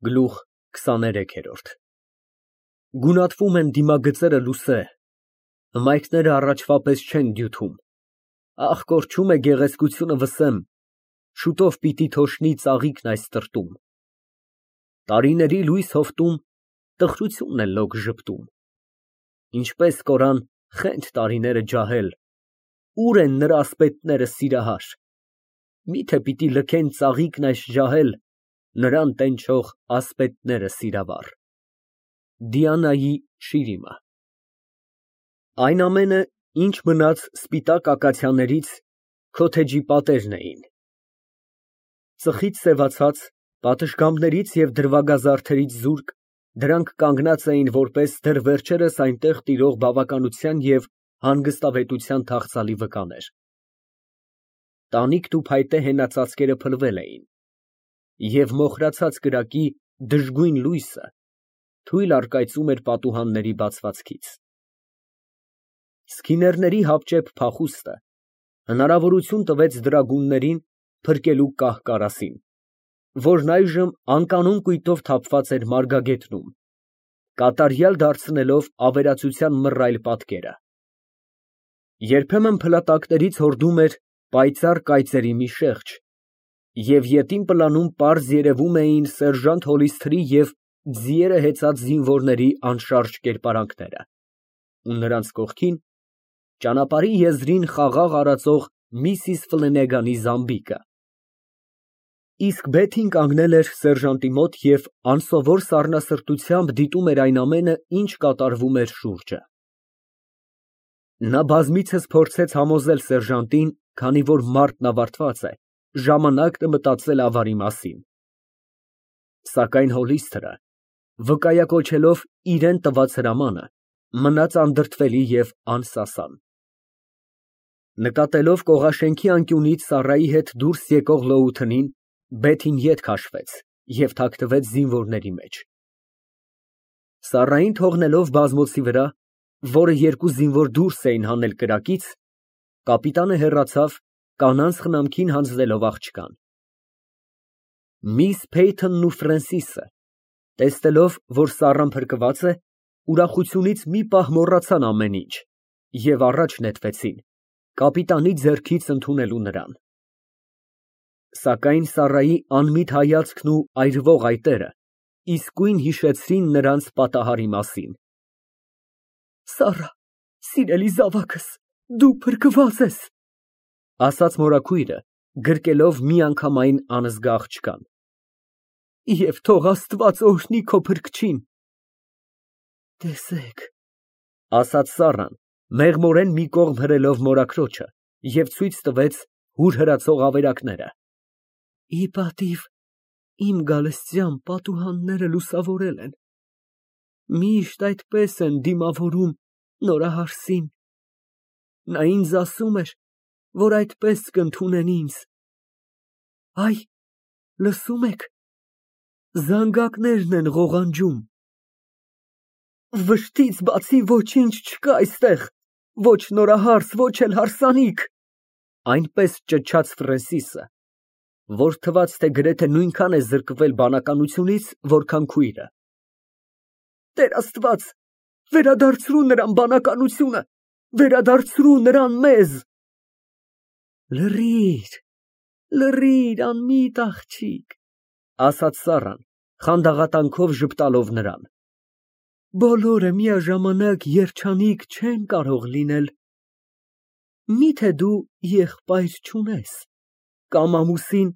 Գլուխ 23 Գունատվում են դիմագծերը լուսե, հմայքները առաջվա պես չեն դյութում, ախ, կորչում է գեղեցկությունը վսեմ, շուտով պիտի թոշնի ծաղիկն այս տրտում, տարիների լույս հովտում տխրությունն է լոկ ժպտում, ինչպես կորան խենթ տարիները ջահել, ուր են նրա ասպետները սիրահար, միթե պիտի լքեն ծաղիկն այս ջահել, նրան տենչող ասպետները սիրավառ։ Դիանայի շիրիմը Այն ամենը, ինչ մնաց սպիտակ ակացիաներից, քոթեջի պատերն էին։ Ծխից սևացած, պատշգամբներից և դրվագազարդերից զուրկ, դրանք կանգնած էին որպես դեռ վերջերս այնտեղ տիրող բավականության և հանգստավետության թախծալի վկաներ։ Տանիքն ու փայտե հենածածկերը փլվել էին, և մոխրացած կրակի դժգույն լույսը թույլ առկայծում էր պատուհանների բացվածքից։ Սքիներների հապճեպ փախուստը հնարավորություն տվեց դրագուններին փրկելու կահ֊կարասին, որն այժմ անկանոն կույտով թափված էր մարգագետնում, կատարյալ դարձնելով ավերածության մռայլ պատկերը։ Երբեմն փլատակներից հորդում էր պայծառ կայծերի մի շեղջ, և ետին պլանում պարզ երևում էին սերժանտ Հոլիսթրի և ձիերը հեծած զինվորների անշարժ կերպարանքները, ու նրանց կողքին ճանապարհի եզրին խաղաղ արածող Միսիս Ֆլենեգանի զամբիկը։ Իսկ Բեթին կանգնել էր սերժանտի մոտ և անսովոր սառնասրտությամբ դիտում էր այն ամենը, ինչ կատարվում էր շուրջը։ Նա բազմիցս փորձեց համոզել սերժանտին, քանի որ մարտն ավարտված է, ժամանակն է մտածել ավարի մասին։ Սակայն Հոլիսթրը, վկայակոչելով իրան տված հրամանը, մնաց անդրդվելի և անսասան։ Նկատելով կողաշենքի անկյունից ծառայի հետ դուրս եկող լոութնին, Բեթին ետ քաշվեց և թաքնվեց զինվորների մեջ։ Սառային թողնելով բազմոցի վրա, որը երկու զինվոր դուրս էին հանել կրակից, կապիտանը հեռացավ, կանանց խնամքին հանձնելով աղջկան։ Միս Փեյթոնն ու Ֆրենսիսը, տեսնելով, որ սառան փրկված է, ուրախությունից մի պահ մոռացան ամեն ինչ և առաջ նետվեցին, կապիտանի ձեռքից ընդունելու նրան։ Սակայն Սառայի անմիտ հայացքն ու այրվող այտերը իսկույն հիշեցրին նրանց պատահարի մասին։ Սառա, սիրելի զավակս, դու փրկված ես, ասաց մորաքույրը, գրկելով միանգամայն անզգա աղջկան, և թող Աստված օրհնի քո փրկչին։ Տեսեք, ասաց Սառան, մեղմորեն մի կողմ հրելով մորաքրոջը և ցույց տվեց հուր հրացող ավերակները, ի պատիվ իմ գալստյան պատուհանները լուսավորել են, միշտ այդպես են դիմավորում նորահարսին, նա ինձ ասում էր, որ այդպես կընդունեն ինձ, այ, լսում եք, զանգակներն են ղողանջում, վշտից բացի ոչինչ չկա այստեղ, ոչ նորահարս, ոչ էլ հարսանիք, այնպես ճչաց Ֆրենսիսը, որ թվաց, թե գրեթե նույնքան է զրկվել բանականությունից, որքան քույրը։ Տեր Աստված, վերադարձրու նրան բանականությունը, վերադարձրու նրան մեզ։ Լռիր, լռիր, անմիտ աղջիկ, ասաց Սառան, խանդաղատանքով ժպտալով նրան։ Բոլորը միաժամանակ երջանիկ չեն կարող լինել։ Միթե դու եղբայր չունես, կամ ամուսին,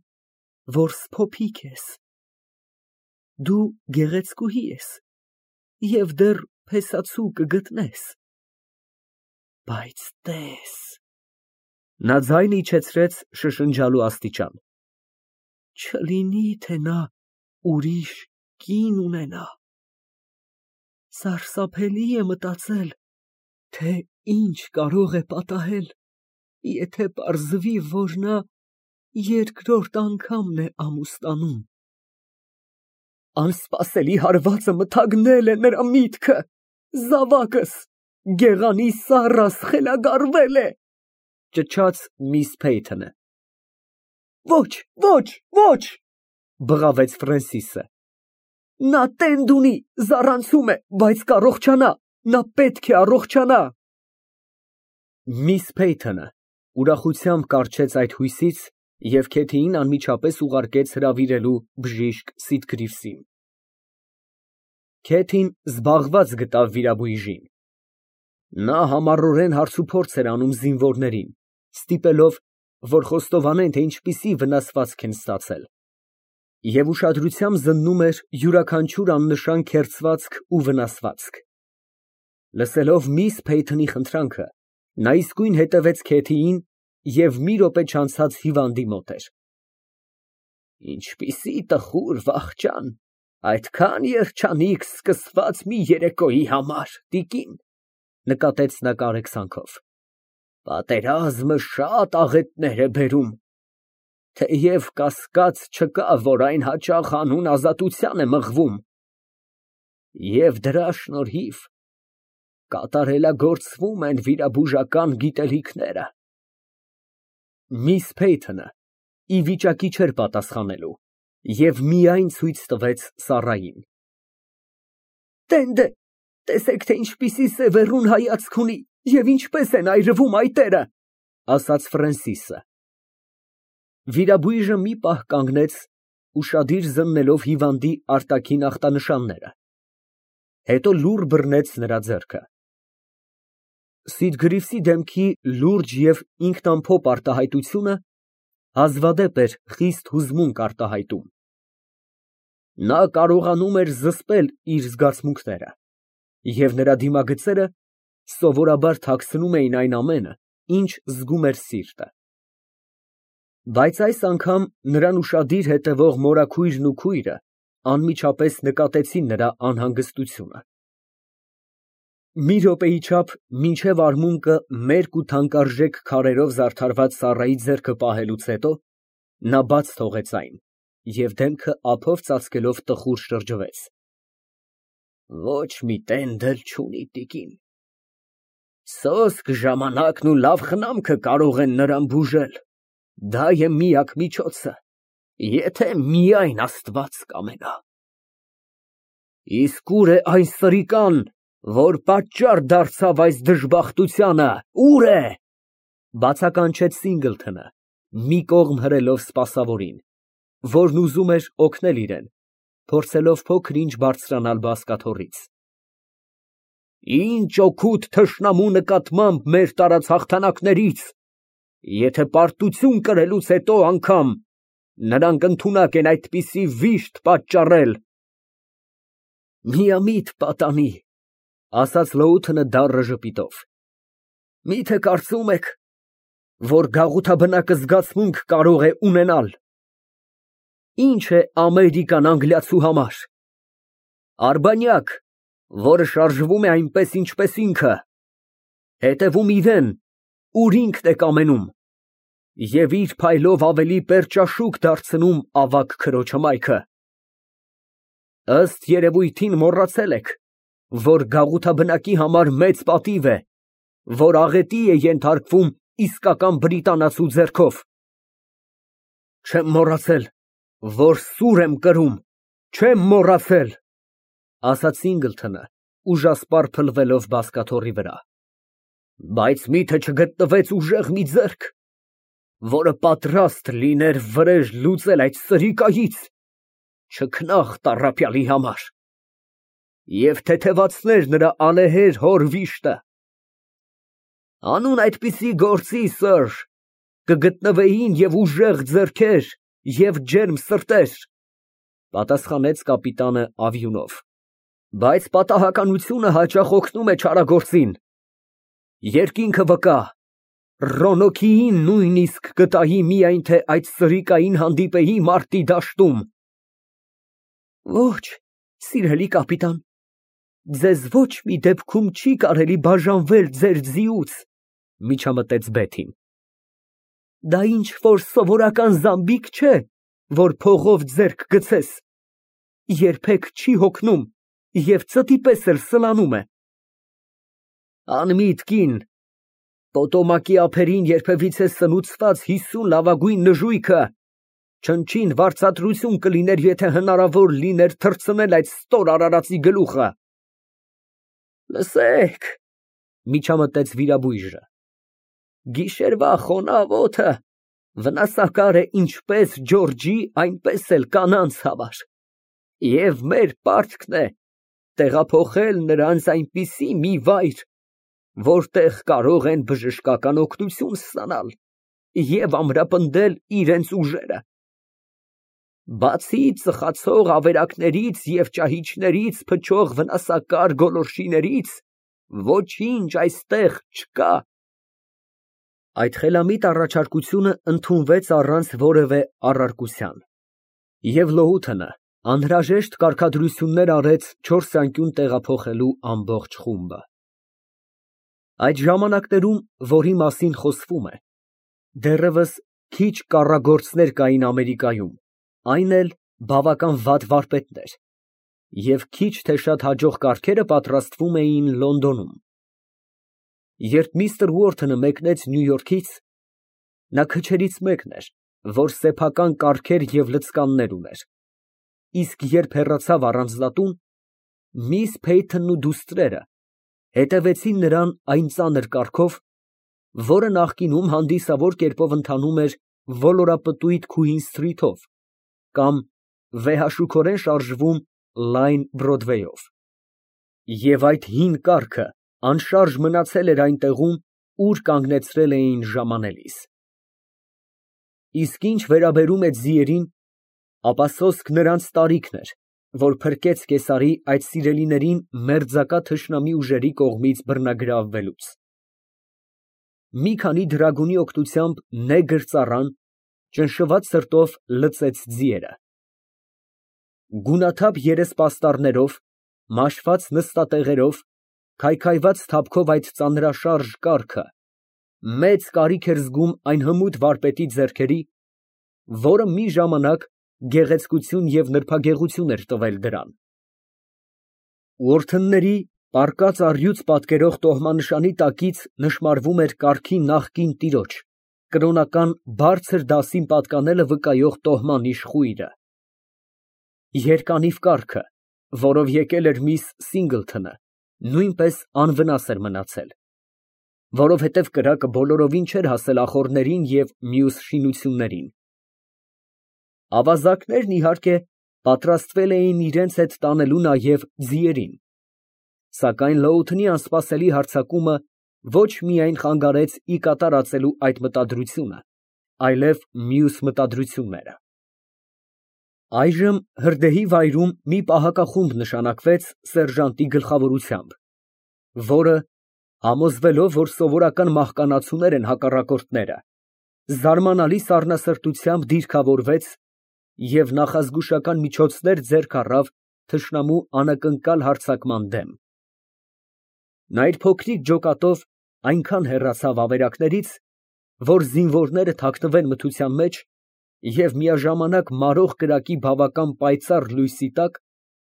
որ սփոփիկ ես։ Դու գեղեցկուհի ես և դեռ փեսացու կգտնես։ Բայց տես… Նա ձայնը իջեցրեց շշնջալու աստիճան, չլինի, թե նա ուրիշ կին ունենա։ Սարսափելի է մտածել, թե ինչ կարող է պատահել, եթե պարզվի, որ նա երկրորդ անգամն է ամուսնանում։ Անսպասելի հարվածը մթագնել է նրա միտքը, զավակս, գեղանի Սառաս խելագարվել է, ճչաց միս Փեյթոնը։ Ոչ, ոչ, ոչ, բղավեց Ֆրենսիսը։ Նա տենդ ունի, զառանցում է, բայց կառողջանա, նա պետք է առողջանա։ Միս Փեյթոնը ուրախությամբ կառչեց այդ հույսից և Քեթիին անմիջապես ուղարկեց հրավիրելու բժիշկ Սիտգրիվսին։ Քեթին զբաղված գտավ վիրաբույժին։ Նա համառորեն հարցուփորձ էր անում զինվորներին, ստիպելով, որ խոստովանեն, թե ինչպիսի վնասվածք են ստացել, և ուշադրությամբ զննում էր յուրաքանչյուր աննշան քերծվածք ու վնասվածք։ Լսելով միս Փեյթոնի խնդրանքը, նա իսկույն հետևեց Քեթիին և մի րոպե չանցած հիվանդի մոտ էր։ Ինչպիսի տխուր վախճան, այդքան երջանիկ սկսված մի երեկոյի համար, տիկին, նկատեց նա կարեկցանքով։ Պատերազմը շատ աղետներ է բերում, թեև կասկած չկա, որ այն հաճախ անուն ազատության է մղվում, և դրա շնորհիվ կատարելագործվում են վիրաբուժական գիտելիքները։ Միս Փեյթոնը ի վիճակի չէր պատասխանելու և միայն ցույց տվեց Սառային։ Տենդ է, տեսեք, թե ինչպիսի սևեռուն հայացք ունի և ինչպես են այրվում այտերը, ասաց Ֆրենսիսը։ Վիրաբույժը մի պահ կանգնեց, ուշադիր զննելով հիվանդի արտաքին ախտանշանները, հետո լուռ բռնեց նրա ձեռքը։ Սիտգրիվսի դեմքի լուրջ և ինքնամփոփ արտահայտությունը հազվադեպ էր խիստ հուզմունք արտահայտում։ Նա կարողանում էր զսպել իր զգացմունքները, և նրա դիմագծերը սովորաբար թաքցնում էին այն ամենը, ինչ զգում էր սիրտը։ Բայց այս անգամ նրան ուշադիր հետևող մորաքույրն ու քույրը անմիջապես նկատեցին նրա անհանգստությունը։ Մի րոպեի չափ մինչև արմունկը մերկ ու թանկարժեք քարերով զարդարված Սառայի ձեռքը պահելուց հետո, նա բաց թողեց այն և դեմքը ափով ծածկելով տխուր շրջվեց։ Ոչ մի տենդ էլ չունի, տիկին։ Սոսկ ժամանակն ու լավ խնամքը կարող են նրան բուժել, դա է միակ միջոցը, եթե միայն Աստված կամենա։ Իսկ ուր է այն սրիկան, որ պատճառ դարձավ այս դժբախտությանը, ուր է, բացականչեց Սինգլթոնը, մի կողմ հրելով սպասավորին, որն ուզում էր օգնել իրեն, փորձելով փոքր֊ինչ բարձրանալ բազկաթոռից։ Ինչ օգուտ թշնամու նկատմամբ մեր տարած հաղթանակներից, եթե պարտություն կրելուց հետո անգամ նրանք ընդունակ են այդպիսի վիշտ պատճառել։ Միամիտ պատանի, ասաց Լոութենը դառն ժպիտով, միթե կարծում եք, որ գաղութաբնակը զգացմունք կարող է ունենալ։ Ինչ է Ամերիկան անգլիացու համար։ Արբանյակ, որը շարժվում է այնպես, ինչպես ինքը, հետևում իրեն, ուր ինքն է կամենում, և իր փայլով ավելի պերճաշուք դարձնում ավագ քրոջը մայքը։ Ըստ երևույթին մոռացել եք, որ գաղութաբնակի համար մեծ պատիվ է, որ աղետի է ենթարկվում իսկական բրիտանացու ձեռքով։ Չեմ մոռացել, որ սուր եմ կրում, չեմ մոռացել, ասաց Սինգլթոնը, ուժասպառ փլվելով բազկաթոռի վրա, բայց միթե չգտնվեց ուժեղ մի ձեռք, որը պատրաստ լիներ վրեժ լուծել այդ սրիկայից, չքնաղ տառապյալի համար, և թեթևացներ նրա ալեհեր հոր վիշտը։ Անուն այդպիսի գործի, սըր, կգտնվեին և ուժեղ ձեռքեր, և ջերմ սրտեր, պատասխանեց կապիտանը ավյունով, բայց պատահականությունը հաճախ օգնում է չարագործին։ Երկինքը վկա, Ռոնոքիին նույնիսկ կտայի միայն թե այդ սրիկային հանդիպեի մարտի դաշտում։ Ոչ, սիրելի կապիտան, ձեզ ոչ մի դեպքում չի կարելի բաժանվել ձեր ձիուց, միջամտեց Բեթին։ Դա ինչ-որ սովորական զամբիք չէ, որ փողով ձեռք գցես, երբեք չի հոգնում և ծտի պես էլ սլանում է։ Անմիտ կին, Պոտոմակի ափերին երբևիցե սնուցված 50 լավագույն նժույգը Չնչին վարձատրություն կլիներ, եթե հնարավոր լիներ թռցնել այդ ստոր արարածի գլուխը։ Լսեք, միջամտեց վիրաբույժը, գիշերվա խոնավ օդը վնասակար է ինչպես Ջորջի, այնպես էլ կանանց համար, և մեր պարտքն է տեղափոխել նրանց այնպիսի մի վայր, որտեղ կարող են բժշկական օգնություն ստանալ և ամրապնդել իրենց ուժերը։ Բացի ծխացող ավերակներից և ճահիճներից փչող վնասակար գոլորշիներից, ոչինչ այստեղ չկա։ Այդ խելամիտ առաջարկությունը ընդունվեց առանց որևէ առարկության, և Լոութը անհրաժեշտ կարգադրություններ արեց չորսանկյուն տեղափոխելու ամբողջ խումբը։ Այդ ժամանակներում, որի մասին խոսվում է, դեռևս քիչ կառագործներ կային Ամերիկայում, այն էլ բավական վատ վարպետներ, և քիչ թե շատ հաջող կարգերը պատրաստվում էին Լոնդոնում։ Երբ միստր Ուորթոնը մեկնեց Նյու Յորքից, նա քչերից մեկն էր, որ սեփական կարգեր և լցկաններ ուներ, իսկ երբ հեռացավ առանձնատուն, միս Փեյթոնն ու դուստրերը հետևեցին նրան այն ծանր կառքով, որը նախկինում հանդիսավոր կերպով ընթանում էր ոլորապտույտ Քուին սթրիթով կամ վեհաշուքորեն շարժվում լայն Բրոդվեյով, և այդ հին կառքը անշարժ մնացել էր այն տեղում, ուր կանգնեցրել էին ժամանելիս։ Իսկ ինչ վերաբերում է ձիերին, ապա սոսկ նրանց տարիքն էր, որ փրկեց կեսարի այդ սիրելիներին մերձակա թշնամի ուժերի կողմից բռնագրավվելուց։ Մի քանի դրագունի օգնությամբ նեգր ծառան ճնշված սրտով լծեց ձիերը։ Գունաթափ երեսպաստառներով, մաշված նստատեղերով, քայքայված թափքով այդ ծանրաշարժ կառքը մեծ կարիք էր զգում այն հմուտ վարպետի ձեռքերի, որը մի ժամանակ գեղեցկություն և նրբագեղություն էր տվել դրան։ Ուորթոնների պառկած առյուծ պատկերող տոհմանշանի տակից նշմարվում էր կառքի նախկին տիրոջ, կրոնական բարձր դասին պատկանելը վկայող տոհման իշխույրը։ Երկանիվ կառքը, որով եկել էր միս Սինգլթոնը, նույնպես անվնաս էր մնացել, որովհետև կրակը բոլորովին չէր հասել ախոռներին և մյուս շինություններին։ Ավազակներն, իհարկե, պատրաստվել էին իրենց հետ տանելու նաև ձիերին, սակայն Լոութնի անսպասելի հարձակումը ոչ միայն խանգարեց ի կատարածելու այդ մտադրությունը, այլև մյուս մտադրությունները։ Այժմ հրդեհի վայրում մի պահակախումբ նշանակվեց սերժանտի գլխավորությամբ, որը, համոզվելով, որ սովորական մահկանացուներ են հակառակորդները, զարմանալի սառնասրտությամբ դիրքավորվեց և նախազգուշական միջոցներ ձեռք առավ թշնամու անակնկալ հարձակման դեմ։ Նա իր փոքրիկ ջոկատով այնքան հեռացավ ավերակներից, որ զինվորները թաքնվեն մթության մեջ և միաժամանակ մարող կրակի բավական պայծառ լույսի տակ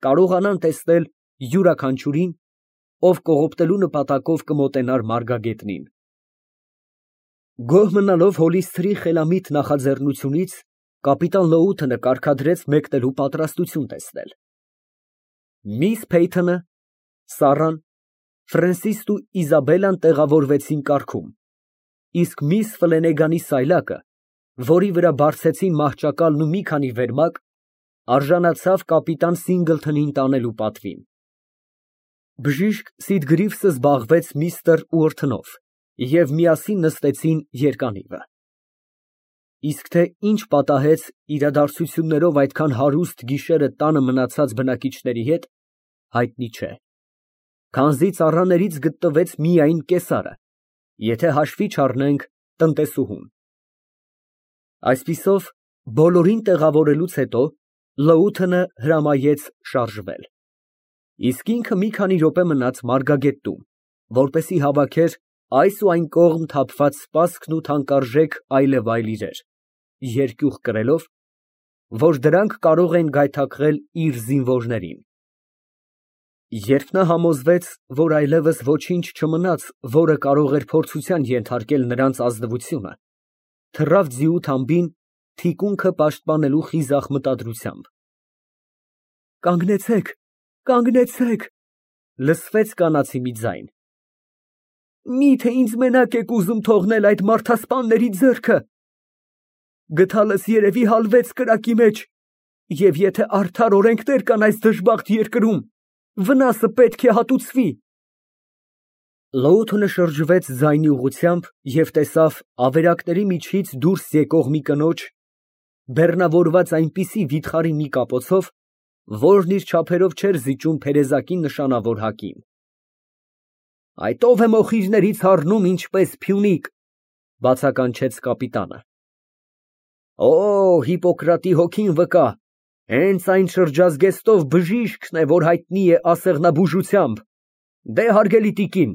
կարողանան տեսնել յուրաքանչյուրին, ով կողոպտելու նպատակով կմոտենար մարգագետնին։ Գոհ մնալով Հոլիսթերի խելամիտ նախաձեռնությունից, կապիտան Լոութը կարգադրեց մեկնելու պատրաստություն տեսնել։ Միս Փեյթոնը, Սառան, Ֆրենսիսն ու Իզաբելլան տեղավորվեցին կառքում, իսկ միս Ֆլենեգանի սայլակը, որի վրա բարձեցին մահճակալն ու մի քանի վերմակ, արժանացավ կապիտան Սինգլթոնին տանելու պատվին։ Բժիշկ Սիդգրիվսը զբաղվեց միստր Ուորթոնով և միասին նստեցին երկանիվը։ Իսկ թե ինչ պատահեց իրադարձություններով այդքան հարուստ գիշերը տանը մնացած բնակիչների հետ, հայտնի չէ, քանզի ծառաներից գտնվեց միայն կեսարը, եթե հաշվի չառնենք տնտեսուհուն։ Այսպիսով, բոլորին տեղավորելուց հետո Լոութը հրամայեց շարժվել, իսկ ինքը մի քանի րոպե մնաց մարգագետնում, որպեսզի հավաքեր այս ու այն կողմ թափված սպասքն ու թանկարժեք այլևայլ իրեր, երկյուղ կրելով, որ դրանք կարող են գայթակղել իր զինվորներին։ Երբ նա համոզվեց, որ այլևս ոչինչ չմնաց, որը կարող էր փորձության ենթարկել նրանց ազնվությունը, թռավ ձիու թամբին թիկունքը պաշտպանելու խիզախ մտադրությամբ։ Կանգնեցեք, կանգնեցեք, լսվեց կանացի մի ձայն։ Միթե ինձ մենակ եք ուզում թողնել այդ մարդասպանների ձեռքը։ Գդալս երևի հալվեց կրակի մեջ, և եթե արդար օրենքներ կան այս դժբախտ երկրում, վնասը պետք է հատուցվի։ Լոութը շրջվեց ձայնի ուղղությամբ և տեսավ ավերակների միջից դուրս եկող մի կնոջ, բեռնավորված այնպիսի վիթխարի մի կապոցով, որն իր չափերով չէր զիջում փերեզակի նշանավոր հակին։ Այդ ով է մոխիրներից առնում ինչպես փյունիկ, բացականչեց կապիտանը։ Օ, Հիպոկրատի հոգին վկա, հենց այն շրջազգեստով բժիշկն է, որ հայտնի է ասեղնաբուժությամբ։ Դե, հարգելի տիկին,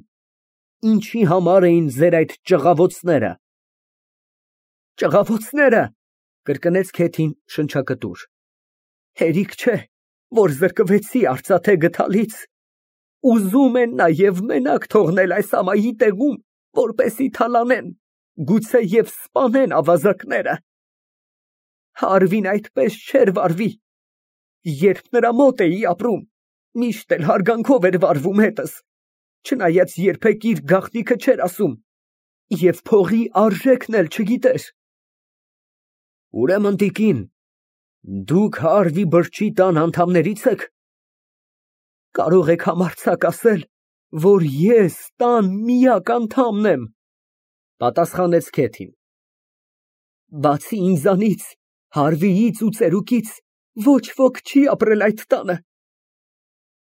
ինչի համար էին ձեր այդ ճղավոցները։ Ճղավոցները, կրկնեց Քեթին շնչակտուր։ Հերիք չէ, որ զրկվեցի արծաթե գդալից։ Ուզում են նաև մենակ թողնել այս ամայի տեղում, որպեսի թալանեն, գուցե և սպանեն ավազակները։ Հարվին այդպես չէր վարվի։ Երբ նրա մոտ էի ապրում, միշտ էլ հարգանքով էր վարվում հետս, չնայած երբեք իր գաղտնիքը չէր ասում և փողի արժեքն էլ չգիտեր։ Ուրեմն, տիկին, դուք Հարվի բրջի տան անդամների՞ց եք։ Կարող եք համարձակ ասել, որ ես տան միակ անդամն եմ, պատասխանեց Քեթին։ Բացի ինձանից, Հարվիից ու ծերուկից ոչ ոք չի ապրել այդ տանը։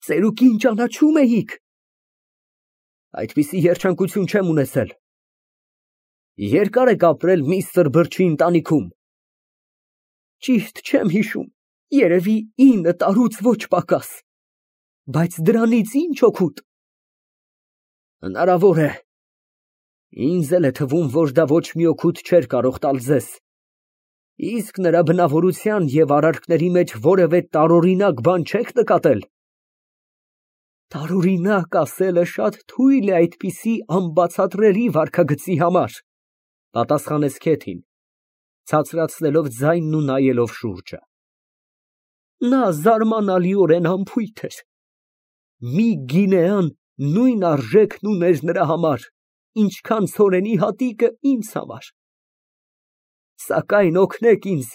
Ծերուկին ճանաչում էիք։ Այդպիսի երջանկություն չեմ ունեցել։ Երկար եք ապրել միստր Բրջի ընտանիքում։ Ճիշտ չեմ հիշում, երևի 9 տարուց ոչ պակաս։ Բայց դրանից ինչ օգուտ։ Հնարավոր է։ Ինձ էլ է թվում, որ դա ոչ մի օգուտ չէր կարող տալ ձեզ։ Իսկ նրա բնավորության և արարքների մեջ որևէ տարօրինակ բան չեք նկատել։ Տարօրինակ ասելը շատ թույլ է այդպիսի անբացատրելի վարքագծի համար, պատասխանեց Քեթին, ցածրացնելով ձայնն ու նայելով շուրջը։ Նա զարմանալիորեն անփույթ էր։ Մի գինեան նույն արժեքն ուներ նրա համար, ինչքան ցորենի հատիկը ինձ համար։ Սակայն օգնեք ինձ,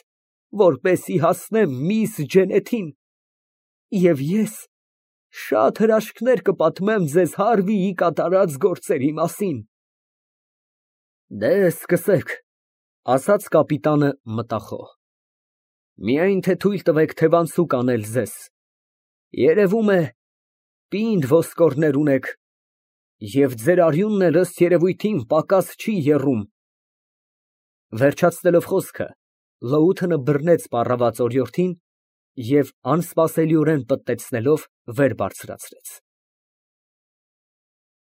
որպեսզի հասնեմ միս Ջենեթին, և ես շատ հրաշքներ կպատմեմ ձեզ Հարվիի կատարած գործերի մասին։ Դե, սկսեք, ասաց կապիտանը մտախոհ։ Միայն թե թույլ տվեք թևանցուկ անել ձեզ։ Երևում է, պինդ ոսկորներ ունեք, և ձեր արյունն էլ ըստ երևույթին պակաս չի եռում։ Վերջացնելով խոսքը, Լոութը բռնեց պառաված օրիորդին և անսպասելիորեն պտտեցնելով վեր բարձրացրեց։